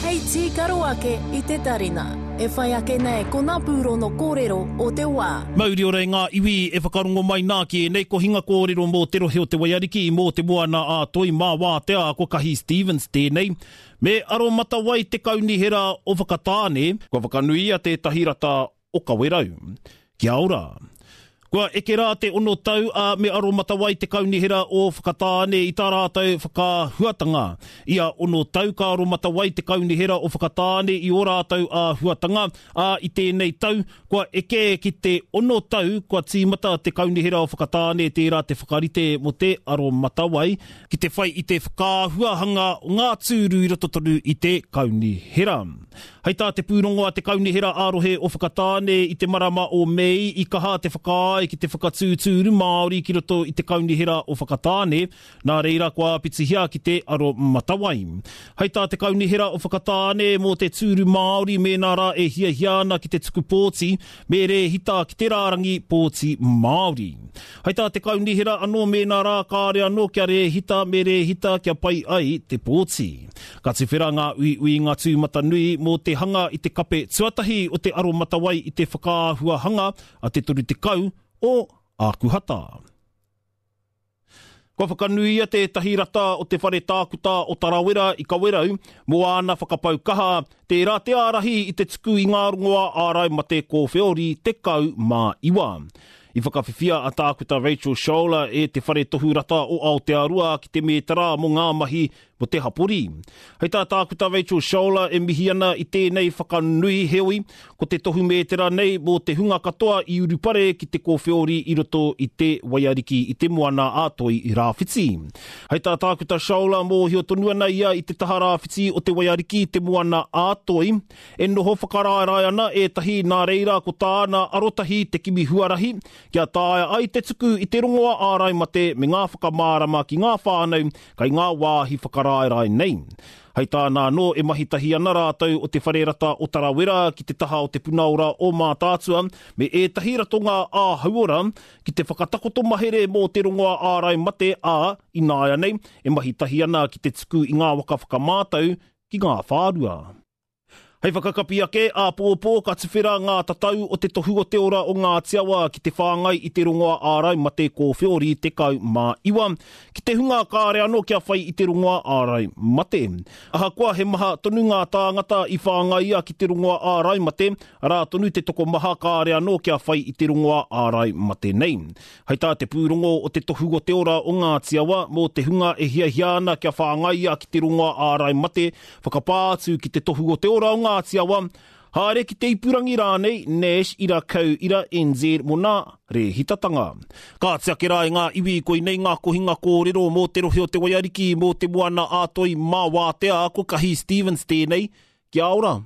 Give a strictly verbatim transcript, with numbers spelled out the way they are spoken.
Hei tīkaro ake i te tarina. E whai ake nei ko ngā pūrono kōrero o te wā. Mauri ora e ngā iwi e whakarongo mai nā ki ēnei kohinga kōrero mō te rohe o te Waiariki, mō te moana a Toi mā wātea ko Kahi Stevens tēnei. Me aromatawai te kaunihera o Whakatāne, kua whakanuia tētahi rata o Kawerau. Kia ora. Kua eke rā te ono tau a me aromatawai te kaunihera o Whakatāne i tā rātou whakaahuatanga. Ia ono tau ka aromatawai te kaunihera o Whakatāne i ō rātou āhuatanga, ā, i tēnei tau, kua eke ki te ono tau kua tīmata te kaunihera o Whakatāne tērā te whakarite mō te aromatawai, ki te whai i te whakaahuahanga o ngā tūru i roto tonu i te kaunihera. Hei tā te pūrongo a te Kaunihera ā-rohe o Whakatāne i te marama o Mei i kaha te whakaae ki te whakatū tūru Māori ki roto i te Kaunihera o Whakatāne, nā reira kua āpitihia ki te aromatawai. Hei tā te Kaunihera o Whakatāne mō te tūru Māori mēnā rā e hiahia ana ki te tuku pōti, me rēhita ki te rārangi pōti Māori. Hei tā te Kaunihera anō mēnā rā kāre anō kia rēhita me rēhita kia pai ai te pōti. Ka tuwhera ngā uiuinga tūmatanui mō te hanga i te kape tuatahi o te aromatawai i te whakaahuahanga a te toru tekau o Ākuhata. Kua whakanuia tētahi rata o te whare tākuta o Tarawera i Kawerau mō āna whakapau kaha, tērā te ārahi i te tuku i ngā rongoā ārai mate kōwheori tekau mā iwa. I whakawhiwhia a Tākuta Rachel Scholler e te Whare Tohu Rata o Aotearoa ki te mētara mō ngā mahi mō te hapori. Hei tā Tākuta Rachel Scholler e mihi ana i tēnei whakanui heoi, ko te tohu mētara nei mō te hunga katoa i urupare ki te kōwheori i roto i te Waiariki i te Moana a Toi Rāwhiti. Hei tā Tākuta Scholler mōhio tonu ana ia i te taha rāwhiti o te Waiariki i te Moana a Toi, e noho whakaraerae ana ētahi nā reira ko tāna arotahi te kimi huarahi kia taea ai te tuku i te rongoā ārai mate me ngā whakamārama ki ngā whānau kei ngā wāhi whakaraerae nei. Hei tāna anō e mahi tahi ana rātou o te whare rata o Tarawera ki te taha o te puna ora o Mātaatua me ētahi ratonga ā-hauora ki te whakatakoto mahere mō te rongoā ārai mate ā, ināianei, e mahi tahi ana ki te tuku i ngā waka whakamātau ki ngā whārua. Hei whakakapi ake, āpōpō ka tuwhera ngā tatau o te tohu o te ora o Ngāti Awa ki te whāngai i te rongoā ārai mate kōwheori tekau mā iwa, ki te hunga kāre anō kia whai i te rongoā ārai mate. Ahakoa he maha tonu ngā tāngata i whāngaia ki te rongoā ārai mate, arā tonu te tokomaha kāre anō kia whai i te rongoā ārai mate nei. Hei tā te pūrongo o te tohu o te ora o Ngāti Awa mō te hunga e hiahia ana kia whāngaia ki te rongoā ārai mate, whakapā atu ki te tohu o te ora o Ngāti Awa, haere ki te ipurangi rānei, Nash ira kau ira N Z mō nā rēhitatanga. Kāti ake rā e ngā iwi, koinei ngā kohinga kōrero mō te rohe o te Waiariki, mō te Moana ā-Toi mā Wātea, ko Kahi Stevens tēnei. Kia ora!